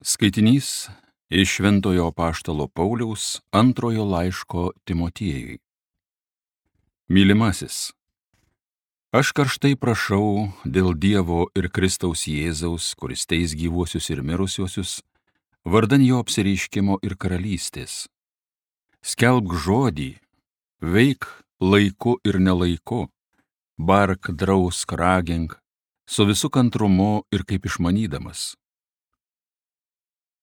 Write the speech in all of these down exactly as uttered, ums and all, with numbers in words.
Skaitinys iš Šventojo apaštalo Pauliaus antrojo laiško Timotiejui. Mylimasis, aš karštai prašau dėl Dievo ir Kristaus Jėzaus, kuris teis gyvuosius ir mirusiuosius, vardan jo apsireiškimo ir karalystės. Skelbk žodį, veik laiku ir nelaiku, bark, drausk, ragink, su visu kantrumu ir kaip išmanydamas.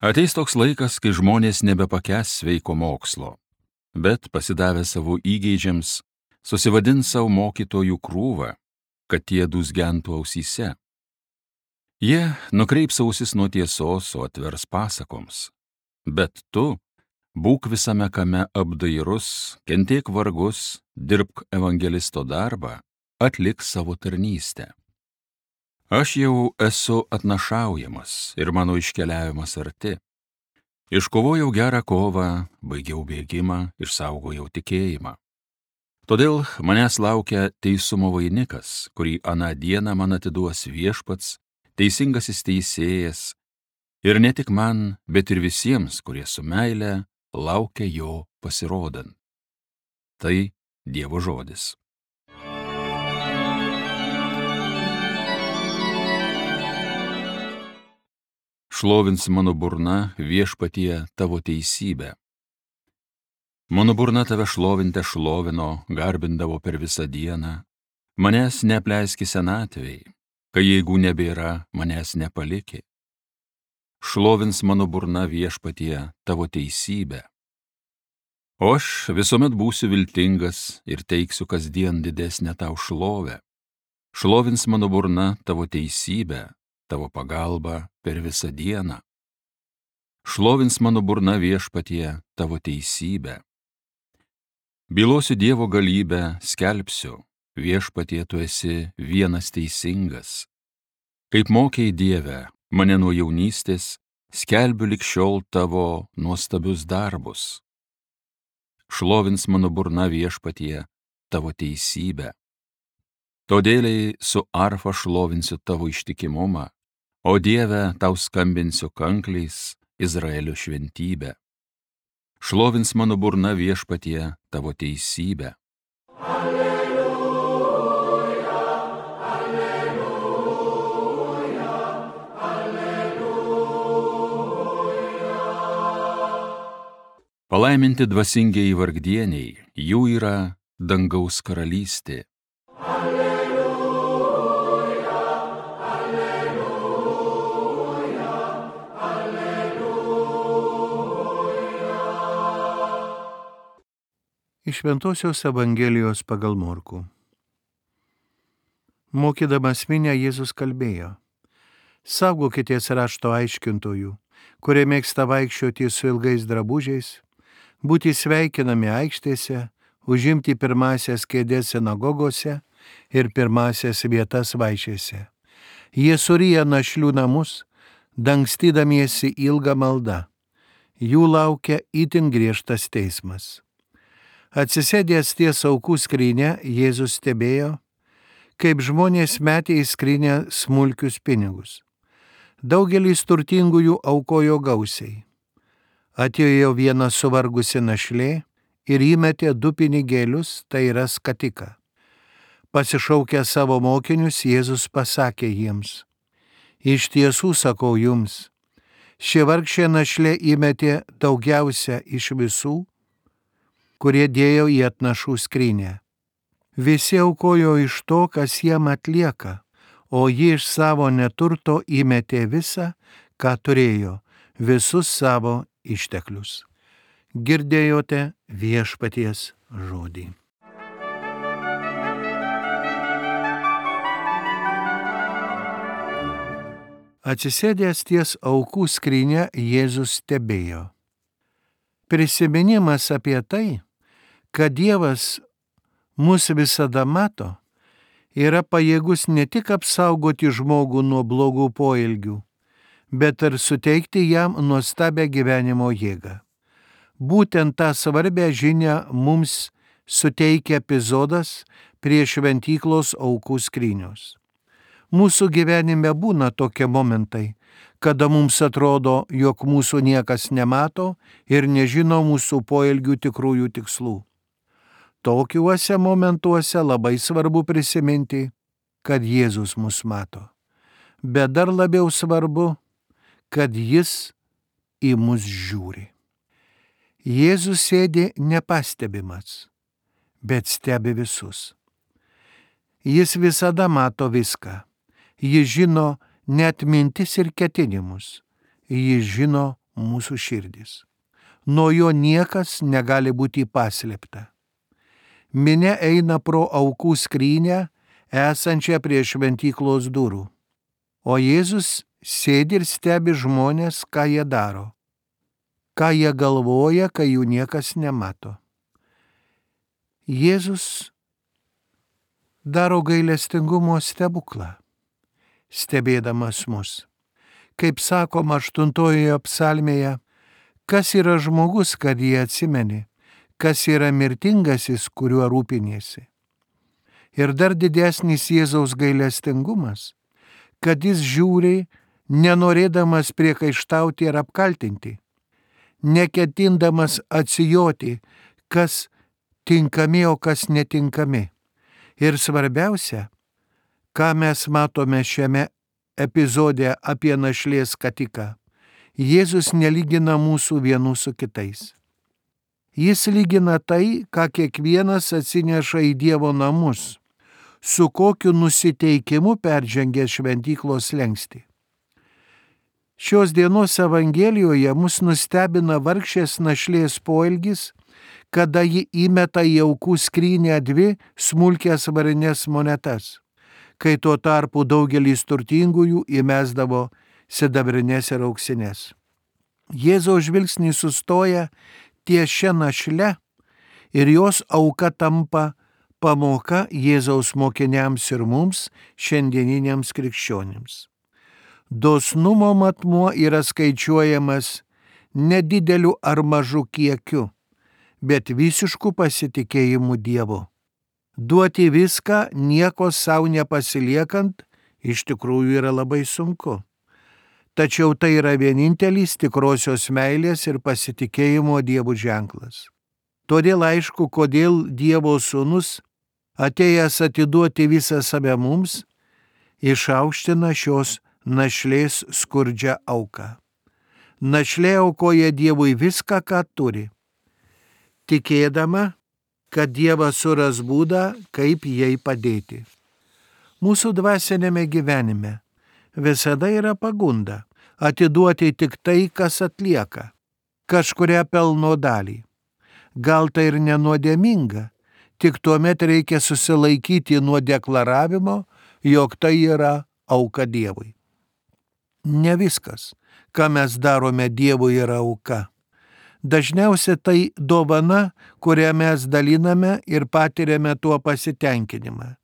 Ateis toks laikas, kai žmonės nebepakęs sveiko mokslo, bet pasidavę savo įgeidžiams, susivadins savo mokytojų krūvą, kad tie dūzgentų ausyse. Jie nukreips ausis nuo tiesos, o atvers pasakoms. Bet tu būk visame kame apdairus, kentėk vargus, dirbk evangelisto darbą, atlik savo tarnystę. Aš jau esu atnašaujamas ir mano iškeliavimas arti. Iškovojau gerą kovą, baigiau bėgimą, išsaugojau tikėjimą. Todėl manęs laukia teisumo vainikas, kurį aną dieną man atiduos viešpats, teisingasis teisėjas, ir ne tik man, bet ir visiems, kurie su meile laukia jo pasirodant. Tai Dievo žodis. Šlovins mano burna viešpatie tavo teisybę. Mano burna tave šlovinte šlovino, garbindavo per visą dieną. Manęs neapleiski senatvei, kai jėgų nebėra, manęs nepaliki. Šlovins mano burna viešpatie tavo teisybę. O aš visuomet būsiu viltingas ir teiksiu kasdien didesnę tau šlovę. Šlovins mano burna tavo teisybę, tavo pagalba per visą dieną. Šlovins mano burna viešpatie tavo teisybę. Bylosiu Dievo galybę, skelbsiu, viešpatie tu esi vienas teisingas. Kaip mokei Dieve mane nuo jaunystės, skelbiu lig šiol tavo nuostabius darbus. Šlovins mano burna viešpatie tavo teisybę. Todėliai su arfa šlovinsiu tavo ištikimumą, o Dieve tau skambinsiu kankliais Izraelio šventybę. Šlovins mano burna viešpatie tavo teisybę. Alleluja, alleluja, alleluja. Palaiminti dvasingieji vargdieniai, jų yra dangaus karalystė. Iš Šventosios Evangelijos pagal Morkų. Mokydamas minią Jėzus kalbėjo: saugokitės rašto aiškintojų, kurie mėgsta vaikščioti su ilgais drabužiais, būti sveikinami aikštėse, užimti pirmąsias kėdes sinagogose ir pirmąsias vietas vaišėse. Jie suryja našlių namus, dangstydamiesi ilgą maldą. Jų laukia itin griežtas teismas. Atsisėdęs ties aukų skrynia, Jėzus stebėjo, kaip žmonės metė į skrynią smulkius pinigus. Daugelis turtingųjų aukojo gausiai. Atėjo viena suvargusi našlė ir įmetė du pinigėlius, tai yra skatiką. Pasišaukęs savo mokinius, Jėzus pasakė jiems: iš tiesų sakau jums, ši vargšė našlė įmetė daugiausia iš visų, kurie dėjo į atnašų skrynę. Visi aukojo iš to, kas jiem atlieka, o ji iš savo neturto įmetė visą, ką turėjo, visus savo išteklius. Girdėjote viešpaties žodį. Atsisėdęs ties aukų skrynia, Jėzus stebėjo. Prisiminimas apie tai, kad Dievas mus visada mato, yra pajėgus ne tik apsaugoti žmogų nuo blogų poelgių, bet ir suteikti jam nuostabią gyvenimo jėgą. Būtent tą svarbę žinią mums suteikia epizodas prie šventyklos aukų skrynios. Mūsų gyvenime būna tokie momentai, kada mums atrodo, jog mūsų niekas nemato ir nežino mūsų poelgių tikrųjų tikslų. Tokiuose momentuose labai svarbu prisiminti, kad Jėzus mus mato. Bet dar labiau svarbu, kad Jis į mus žiūri. Jėzus sėdi nepastebimas, bet stebi visus. Jis visada mato viską. Jis žino net mintis ir ketinimus. Jis žino mūsų širdis. Nuo jo niekas negali būti paslėpta. Minia eina pro aukų skrynę, esančią prie šventyklos durų. O Jėzus sėdi ir stebi žmonės, ką jie daro. Ką jie galvoja, kai jų niekas nemato. Jėzus daro gailestingumo stebuklą, stebėdamas mus. Kaip sakoma aštuntojoje psalmėje, kas yra žmogus, kad jį atsimeni, kas yra mirtingasis, kuriuo rūpiniesi. Ir dar didesnis Jėzaus gailestingumas, kad jis žiūri, nenorėdamas priekaištauti ir apkaltinti, neketindamas atsijoti, kas tinkami, o kas netinkami. Ir svarbiausia, ką mes matome šiame epizode apie našlės skatiką, Jėzus nelygina mūsų vienų su kitais. Jis lygina tai, ką kiekvienas atsineša į Dievo namus, su kokiu nusiteikimu peržengia šventyklos slenkstį. Šios dienos Evangelijoje mus nustebina vargšės našlės poelgis, kada ji įmeta į aukų skrynę dvi smulkias varinės monetas, kai tuo tarpu daugelis turtingųjų įmesdavo sidabrinės ir auksinės. Jėzaus žvilgsnis sustoja ties šia našle ir jos auka tampa pamoka Jėzaus mokiniams ir mums, šiandieniniams krikščionims. Dosnumo matmuo yra skaičiuojamas nedideliu ar mažu kiekiu, bet visišku pasitikėjimu Dievu. Duoti viską, nieko savo nepasiliekant, iš tikrųjų yra labai sunku. Tačiau tai yra vienintelis tikrosios meilės ir pasitikėjimo Dievu ženklas. Todėl aišku, kodėl Dievo sūnus, atėjęs atiduoti visą save mums, išaukština šios našlės skurdžią auką. Našlė aukoja Dievui viską, ką turi, tikėdama, kad Dievas suras būdą, kaip jai padėti. Mūsų dvasinėme gyvenime visada yra pagunda atiduoti tik tai, kas atlieka, kažkurią pelno dalį. Gal tai ir nenuodėminga, tik tuomet reikia susilaikyti nuo deklaravimo, jog tai yra auka Dievui. Ne viskas, ką mes darome Dievui, yra auka. Dažniausiai tai dovana, kurią mes daliname ir patiriame tuo pasitenkinimą.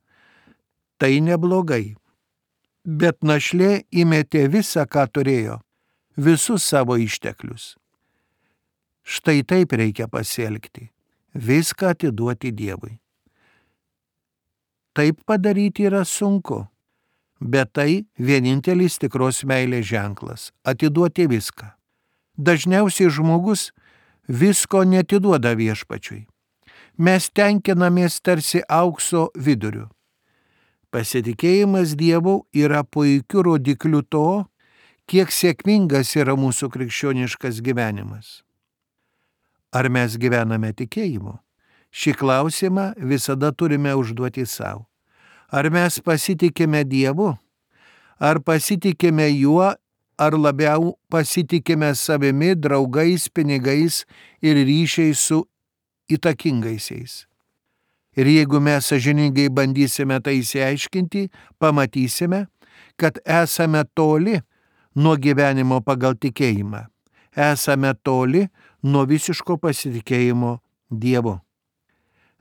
Tai neblogai. Bet našlė įmetė visą, ką turėjo, visus savo išteklius. Štai taip reikia pasielgti, viską atiduoti Dievui. Taip padaryti yra sunku, bet tai vienintelis tikros meilės ženklas - atiduoti viską. Dažniausiai žmogus visko netiduoda Viešpačiui. Mes tenkinamės tarsi aukso viduriu. Pasitikėjimas Dievu yra puikiu rodikliu to, kiek sėkmingas yra mūsų krikščioniškas gyvenimas. Ar mes gyvename tikėjimu? Šį klausimą visada turime užduoti savo. Ar mes pasitikime Dievu? Ar pasitikime Juo, ar labiau pasitikime savimi, draugais, pinigais ir ryšiais su įtakingaisiais? Ir jeigu mes sąžiningai bandysime tai išsiaiškinti, pamatysime, kad esame toli nuo gyvenimo pagal tikėjimą. Esame toli nuo visiško pasitikėjimo Dievu.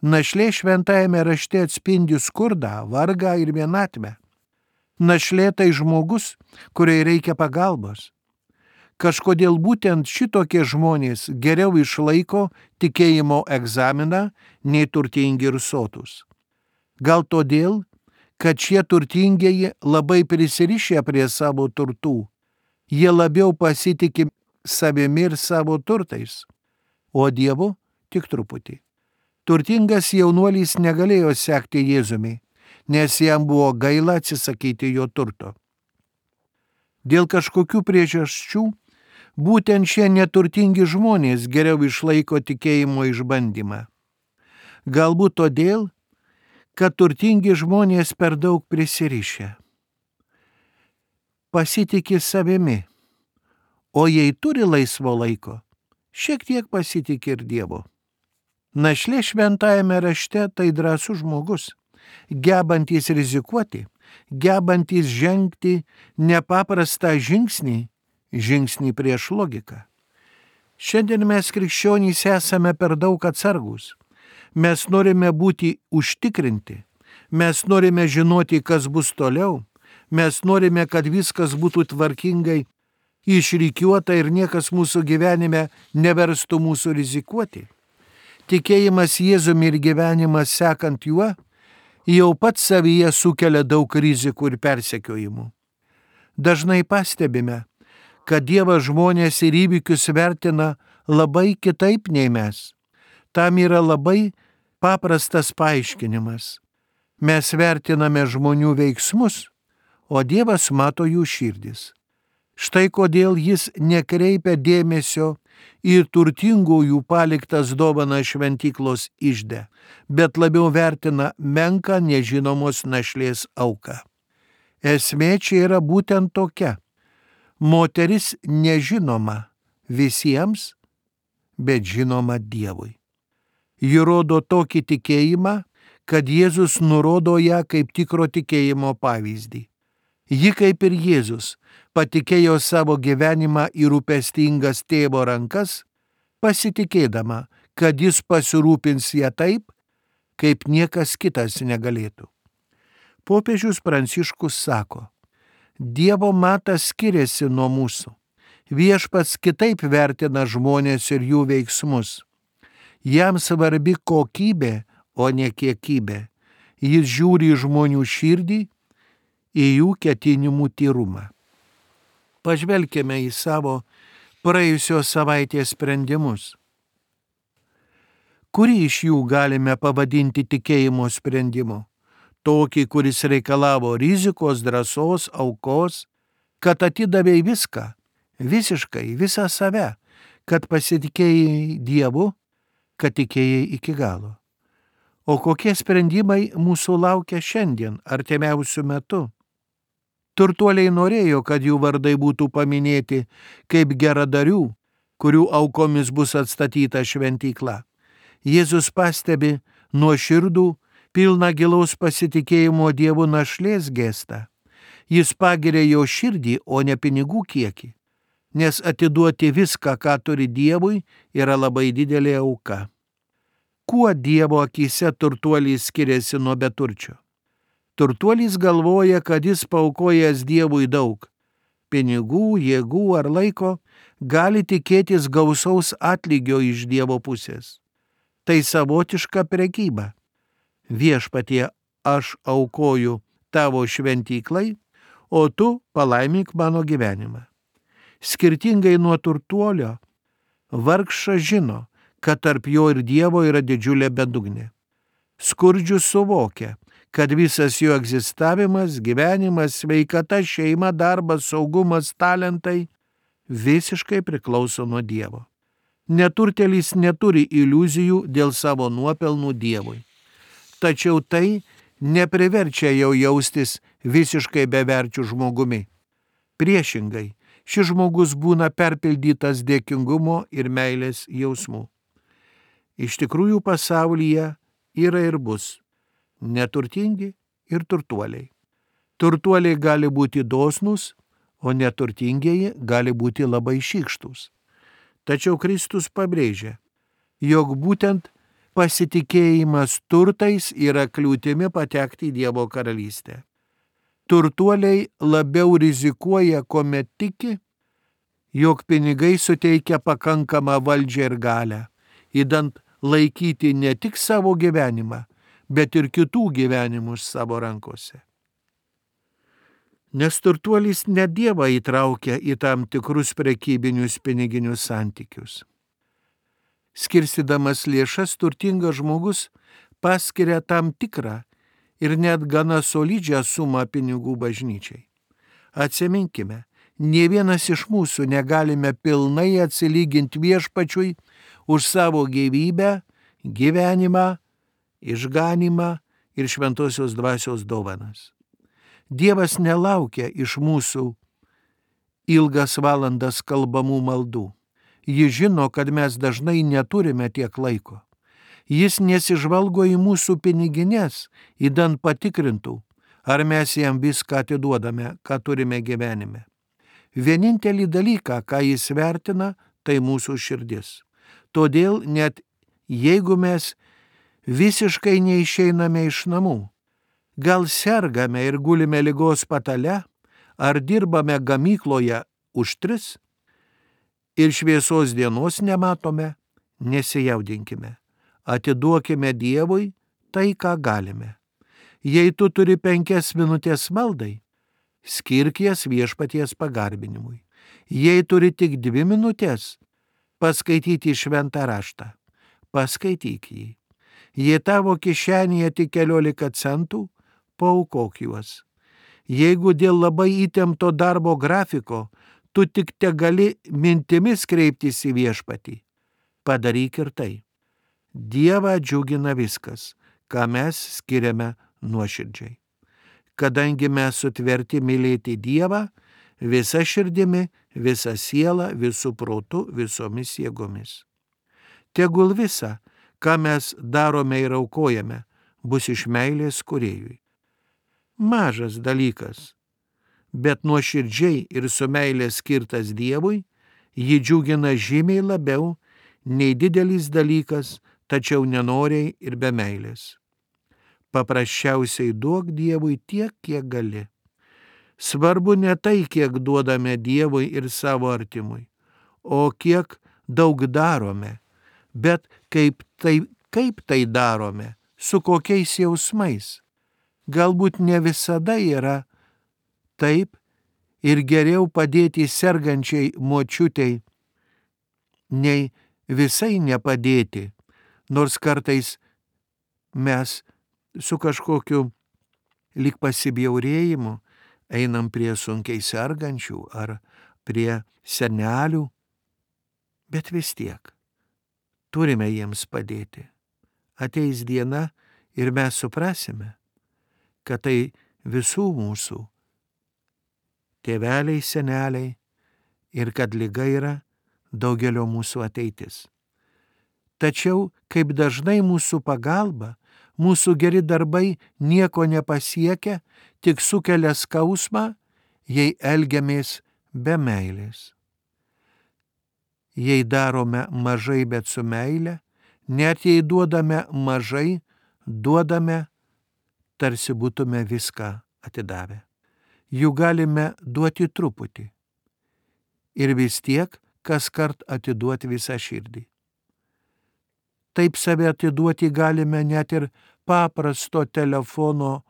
Našlė šventajame rašte atspindi skurdą, vargą ir vienatvę. Našlė tai žmogus, kuriai reikia pagalbos. Kažkodėl būtent šitokie žmonės geriau išlaiko tikėjimo egzaminą nei turtingi ir sotus. Gal todėl, kad šie turtingieji labai prisirišę prie savo turtų. Jie labiau pasitikė savimi ir savo turtais, o Dievu tik truputį. Turtingas jaunuolis negalėjo sekti Jėzumi, nes jam buvo gaila atsisakyti jo turto. Dėl kažkokių priežasčių būtent šie neturtingi žmonės geriau išlaiko tikėjimo išbandymą. Galbūt todėl, kad turtingi žmonės per daug prisirišę. Pasitikė savimi, o jei turi laisvo laiko, šiek tiek pasitikė ir Dievu. Našlė šventajame rašte tai drąsus žmogus, gebantis rizikuoti, gebantis žengti nepaprastą žingsnį, žingsnį prieš logiką. Šiandien mes krikščionys esame per daug atsargus. Mes norime būti užtikrinti, mes norime žinoti, kas bus toliau, mes norime, kad viskas būtų tvarkingai išrikiuota ir niekas mūsų gyvenime neverstų mūsų rizikuoti. Tikėjimas Jėzumi ir gyvenimas sekant juo jau pats savyje sukelia daug rizikų ir persekiojimų. Dažnai pastebime, kad Dievas žmonės ir įvykius vertina labai kitaip nei mes. Tam yra labai paprastas paaiškinimas. Mes vertiname žmonių veiksmus, o Dievas mato jų širdis. Štai kodėl jis nekreipia dėmesio į turtingųjų paliktas dovanas šventyklos ižde, bet labiau vertina menką nežinomos našlės auką. Esmė čia yra būtent tokia. Moteris nežinoma visiems, bet žinoma Dievui. Ji rodo tokį tikėjimą, kad Jėzus nurodo ją kaip tikro tikėjimo pavyzdį. Ji kaip ir Jėzus patikėjo savo gyvenimą į rūpestingas tėvo rankas, pasitikėdama, kad jis pasirūpins ją taip, kaip niekas kitas negalėtų. Popiežius Pranciškus sako, Dievo matas skiriasi nuo mūsų. Viešpats kitaip vertina žmonės ir jų veiksmus. Jam svarbi kokybė, o ne kiekybė. Jis žiūri į žmonių širdį, į jų ketinimų tyrumą. Pažvelkime į savo praėjusios savaitės sprendimus. Kurį iš jų galime pavadinti tikėjimo sprendimu? Tokį, kuris reikalavo rizikos, drąsos, aukos, kad atidavėjai viską, visiškai, visą save, kad pasitikėjai Dievu, kad tikėjai iki galo. O kokie sprendimai mūsų laukia šiandien, artimiausiu metu? Turtuoliai norėjo, kad jų vardai būtų paminėti kaip geradarių, kurių aukomis bus atstatyta šventykla. Jėzus pastebi nuoširdų, pilną gilaus pasitikėjimo Dievu našlės gestą. Jis pagiria jo širdį, o ne pinigų kiekį, nes atiduoti viską, ką turi Dievui, yra labai didelė auka. Kuo Dievo akyse turtuolis skiriasi nuo beturčio? Turtuolis galvoja, kad jis paaukojęs Dievui daug. Pinigų, jėgų ar laiko gali tikėtis gausaus atlygio iš Dievo pusės. Tai savotiška prekyba. Viešpatie, aš aukoju tavo šventyklai, o tu palaimink mano gyvenimą. Skirtingai nuo turtuolio, vargšas žino, kad tarp jo ir Dievo yra didžiulė bedugnė. Skurdžius suvokia, kad visas jo egzistavimas, gyvenimas, sveikata, šeima, darbas, saugumas, talentai visiškai priklauso nuo Dievo. Neturtėlis neturi iliuzijų dėl savo nuopelnų Dievui. Tačiau tai nepriverčia jau jaustis visiškai beverčių žmogumi. Priešingai, šis žmogus būna perpildytas dėkingumo ir meilės jausmų. Iš tikrųjų pasaulyje yra ir bus neturtingi ir turtuoliai. Turtuoliai gali būti dosnūs, o neturtingieji gali būti labai šykštūs. Tačiau Kristus pabrėžia, jog būtent pasitikėjimas turtais yra kliūtimi patekti į Dievo karalystę. Turtuoliai labiau rizikuoja, kuomet tiki, jog pinigai suteikia pakankamą valdžią ir galią, idant laikyti ne tik savo gyvenimą, bet ir kitų gyvenimus savo rankose. Nes turtuolis ne Dievą įtraukia į tam tikrus prekybinius piniginius santykius. Skirstydamas lėšas, turtingas žmogus paskiria tam tikrą ir net gana solidžią sumą pinigų bažnyčiai. Atsiminkime, nė vienas iš mūsų negalime pilnai atsilyginti viešpačiui už savo gyvybę, gyvenimą, išganimą ir šventosios dvasios dovanas. Dievas nelaukia iš mūsų ilgas valandas kalbamų maldų. Jis žino, kad mes dažnai neturime tiek laiko. Jis nesižvalgo į mūsų pinigines, įdant patikrintų, ar mes jam viską atiduodame, ką turime gyvenime. Vienintelį dalyką, ką jis vertina, tai mūsų širdis. Todėl net jeigu mes visiškai neišeiname iš namų, gal sergame ir gulime ligos patale, ar dirbame gamykloje už tris ir šviesos dienos nematome, nesijaudinkime. Atiduokime Dievui tai, ką galime. Jei tu turi penkias minutės maldai, skirk jas viešpaties pagarbinimui. Jei turi tik dvi minutės paskaityti šventą raštą, paskaityk jį. Jei tavo kišenėje tik keliolika centų, paaukok juos. Jeigu dėl labai įtempto darbo grafiko tu tik te gali mintimis kreiptis į viešpatį, padaryk ir tai. Dievą džiugina viskas, ką mes skiriame nuoširdžiai. Kadangi mes sutverti mylėti Dievą visa širdimi, visa siela, visų protų, visomis jėgomis. Tegul visa, ką mes darome ir aukojame, bus iš meilės kūrėjui. Mažas dalykas, bet nuoširdžiai ir su meilė skirtas Dievui, jį džiugina žymiai labiau nei didelis dalykas, tačiau nenoriai ir be meilės. Paprasčiausiai duok Dievui tiek, kiek gali. Svarbu ne tai, kiek duodame Dievui ir savo artimui, o kiek daug darome, bet kaip tai, kaip tai darome, su kokiais jausmais. Galbūt ne visada yra taip ir geriau padėti sergančiai močiutei, nei visai nepadėti, nors kartais mes su kažkokiu lyg pasibjaurėjimu einam prie sunkiai sergančių ar prie senelių, bet vis tiek turime jiems padėti. Ateis diena ir mes suprasime, kad tai visų mūsų tėveliai, seneliai ir kad liga yra daugelio mūsų ateitis. Tačiau, kaip dažnai mūsų pagalba, mūsų geri darbai nieko nepasiekia, tik sukelia skausmą, jei elgiamės be meilės. Jei darome mažai, bet su meile, net jei duodame mažai, duodame, tarsi būtume viską atidavę. Jų galime duoti truputį ir vis tiek kas kart atiduoti visą širdį. Taip save atiduoti galime net ir paprasto telefono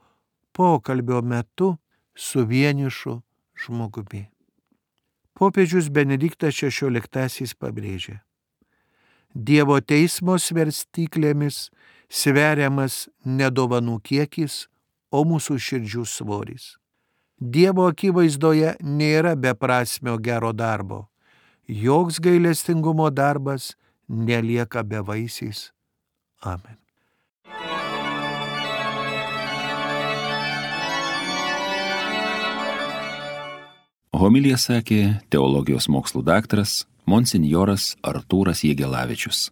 pokalbio metu su vienišu žmogumi. Popiežius Benediktas šešioliktasis pabrėžė: Dievo teismo svarstyklėmis sveriamas ne dovanų kiekis, o mūsų širdžių svoris. Dievo akivaizdoje nėra beprasmio gero darbo. Joks gailestingumo darbas nelieka bevaisiais. Amen. Homiliją sakė teologijos mokslų daktaras monsinjoras Artūras Jegelavičius.